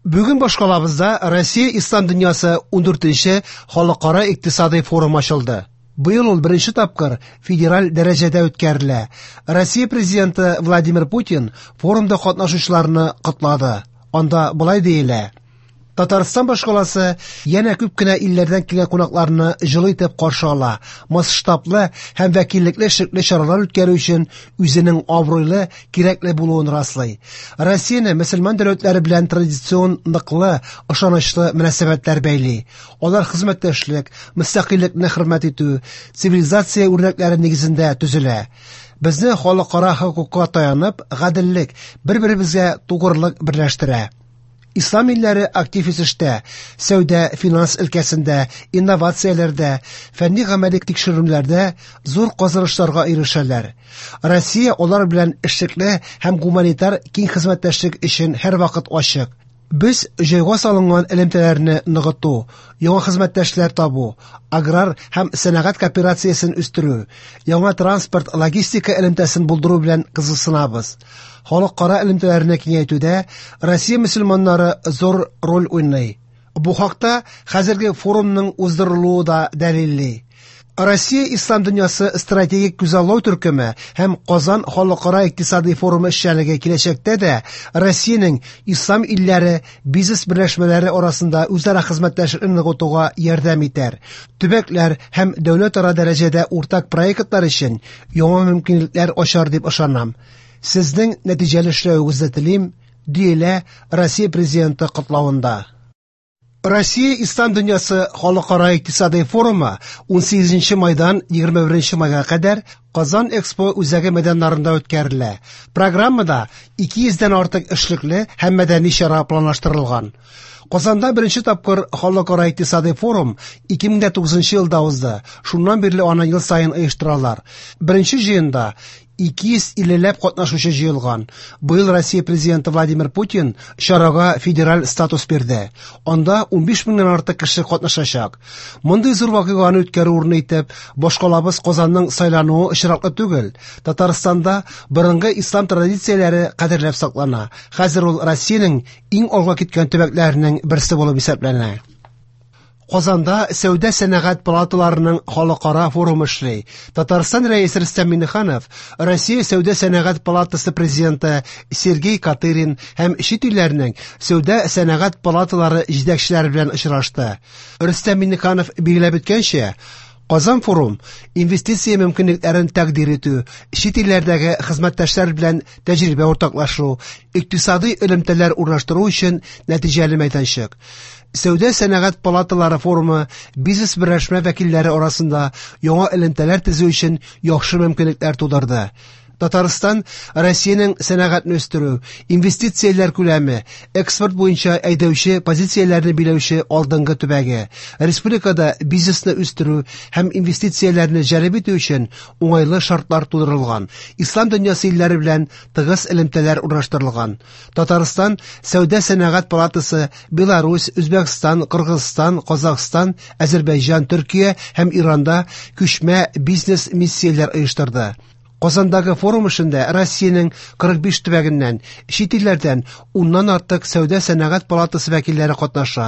Бүген башкалабызда Россия Ислам дөньясы 14нче халыкара икътисадый форум ачылды. Быел ул беренче тапкыр федераль дәрәҗәдә үткәрелә. Россия президенты Владимир Путин форумда катнашучыларны котлады. Анда болай диелә: Татарстан башкаласы янә күп кенә илләрдән килгән кунакларны җылы итеп каршы ала. Масштаблы һәм вәкиллекле эшлекле чаралар үткәрү өчен үзенең абруйлы, кирәкле булуын раслый. Россияне мөселман дәүләтләре белән традицион ныклы, ышанычлы мөнәсәбәтләр бәйли. Алар хезмәттәшлек, мөстәкыйльлекне хөрмәт итү, цивилизация үрнәкләре нигезендә төзелә. Безне халыкара хокукка таянып, гаделлек, бер-беребезгә тугрылык берләштерә. Ислам илләре актив үсештә, сәүдә, финанс өлкәсендә, инновацияләрдә, фәнни гамәли тикшеренүләрдә зур казанышларга ирешәләр. Россия алар белән эшлекле һәм гуманитар киң хезмәттәшлек өчен һәрвакыт ачык. Без җайга салынган элемтәләрне ныгыту, яңа хезмәттәшләр табу, аграр һәм сәнәгать кооперациясен үстерү, яңа транспорт логистика элемтәсен булдыру белән кызыксынабыз. Халыкара элемтәләрне киңәйтүдә Россия мөселманнары зур роль уйный. Бу хакта хәзерге форумның уздырылуы да дәлилли. Россия Ислам дөньясы стратегик күзаллау төркеме һәм Казан халыкара икътисадый форумы эшчәнлеге киләчәктә дә Россиянең ислам илләре бизнес берләшмәләре арасында үзара хезмәттәшлекне ныгытуга ярдәм итәр. Төбәкләр һәм дәүләтара дәрәҗәдә уртак проектлар өчен яңа мөмкинлекләр ачар дип ышанам. Сезнең нәтиҗәле эшләвегезне телим, диелә Россия президенты котлавында. Россия Ислам дөньясы халыкара икътисадый форумы 18 майдан 21 майга кадәр Казан Экспо үзәге мәйданнарында үткәрелә. Программада 200дән артык эшлекле һәм мәдәни чара планлаштырылган. Казанда беренче тапкыр халыкара икътисадый форум 2009 елда узды. Шуннан бирле аны ел саен оештыралар. Беренче җыенда 250ләп катнашучы җыелган. Быел Россия президенты Владимир Путин чарага федераль статус бирде. Анда 15 меңнән артык кеше катнашачак. Мондый зур вакыйганы үткәрү урыны итеп башкалабыз Казанның сайлануы очраклы түгел. Татарстанда борынгы ислам традицияләре кадерләп саклана. Хәзер ул Россиянең иң алга киткән төбәкләренең берсе булып исәпләнә. Казанда сәүдә сәнәгать палаталарының халыкара форумы эшли. Татарстан рәисе Рөстәм Миңнеханов, Россия сәүдә сәнәгать палатасы президенты Сергей Катырин һәм чит илләрнең сәүдә сәнәгать палаталары җитәкчеләре белән очрашты. Рөстәм Миңнеханов билгеләп үткәнчә, Казан форум инвестиция мөмкинлекләрен тәкъдир итү, чит илләрдәге хезмәттәшләр белән тәҗрибә уртаклашу, икътисадый элемтәләр урнаштыру өчен нәтиҗәле мәйданчык. Сәүдә сәнәгать палаталары форумы бизнес берләшмә вәкилләре арасында яңа элемтәләр төзү өчен яхшы мөмкинлекләр тудырды. Татарстан Россиянең сәнәгатьне үстерү, инвестицияләр күләме, экспорт буенча әйдәүче позицияләрне биләүче алдынгы төбәге. Республикада бизнесны үстерү һәм инвестицияләрне җәлеп итү өчен уңайлы шартлар тудырылган. Ислам дөньясы илләре белән тыгыз элемтәләр урнаштырылган. Татарстан Сәүдә сәнәгать палатасы Беларусь, Үзбәкстан, Кыргызстан, Казахстан, Әзербәйҗан, Төркия һәм Иранда күчмә бизнес миссияләр оештырды. Казандагы форум эшендә Россиянең 45 төбәгеннән, чит илләрдән уннан артык сәүдә сәнәгать палатасы вәкилләре катнаша.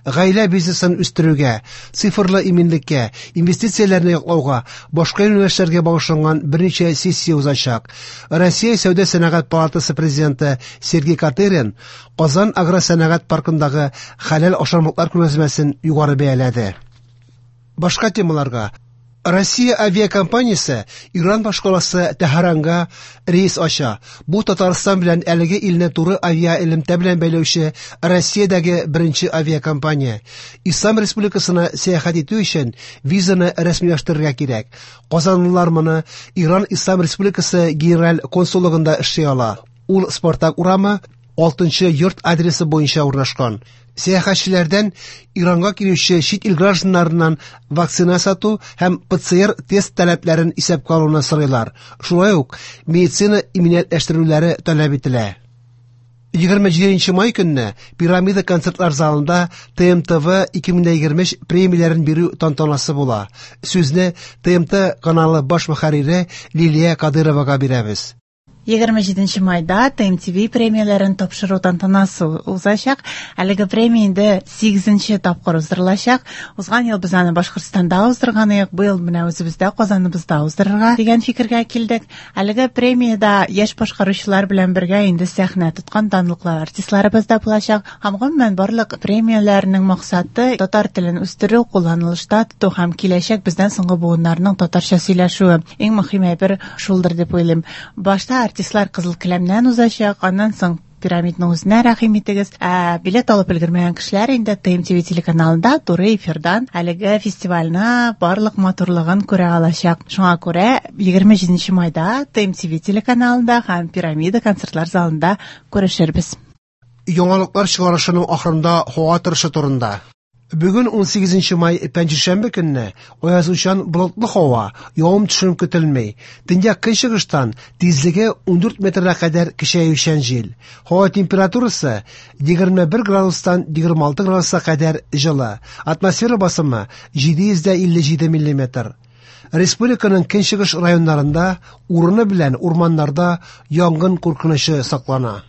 Гаилә бизнесын үстерүгә, цифрлы иминлеккә, инвестицияләрне яклауга, башка юнәлешләргә багышланган берничә сессия узачак. Россия сәүдә сәнәгать палатасы президенты Сергей Катырин Казан агросәнәгать паркындагы хәләл ашамлыклар күргәзмәсен югары бәяләде. Башка темаларга. Россия авиакомпаниясе Иран башкаласы Тәһранга рейс ача. Бу Татарстан белән әлеге илне туры авиаэлемтә белән бәйләүче Россиядәге беренче авиакомпания. Ислам Республикасына сәяхәт итү өчен визаны рәсмиләштерергә кирәк. Казанлылар моны Иран Ислам Республикасы генераль консуллыгында эшли ала. Ул Спартак урамы 6 йорт адресы буенча урнашкан. Сәяхәтчеләрдән Иранга килүче чит ил гражданнарыннан вакцина сату һәм ПЦР тест таләпләрен исәпкә алуны сорыйлар. Шулай ук медицина иминиятләштерүләре таләп ителә. 27 май көнне Пирамида концертлар залында ТМТВ 2023 премияләрен бирү тантанасы була. Сүзне ТМТ каналы баш мөхәррире Лилия Кадыровага бирәбез. 27 майда ТМТВ премияләрен тапшыру тантанасы узачак. Әлеге премия инде 8 тапкыр уздырылачак. Узган ел без аны Башкортстанда уздырган идек, быел менә үзебездә Казаныбызда уздырырга дигән фикергә килдек. Әлеге премиядә яшь башкаручылар белән бергә инде сәхнә тоткан данлыклы артистларыбыз да булачак. Һәм гомумән барлык премияләрнең максаты татар телен үстерү, кулланылышта тоту һәм киләчәк бездән соңгы буыннарның татарча сөйләшүе. Иң мөһим әйбер шулдыр дип уйлыйм. Башта артистлар кызыл келәмнән узачак, аннан соң пирамидның үзенә рәхим итегез. Ә билет алып өлгермәгән кешеләр инде ТМТВ телеканалында туры эфирдан әлеге фестивальне барлык матурлыгын күрә алачак. Шуңа күрә 27 майда ТМТВ телеканалында һәм Пирамида концертлар залында күрешербез. Яңалыклар чыгарышының ахырында һава торышы турында. Бүген 18 май пәнҗешәмбе көнне аязучан болытлы һава, явым-төшем көтелми. Төньяк көнчыгыштан тизлеге 14 метрга кадәр көчәючән җил. Һава температурасы 21 градустан 26 градуска кадәр җылы. Атмосфера басымы 757 миллиметр. Республиканың көнчыгыш районнарында урыны белән урманнарда янгын куркынычы саклана.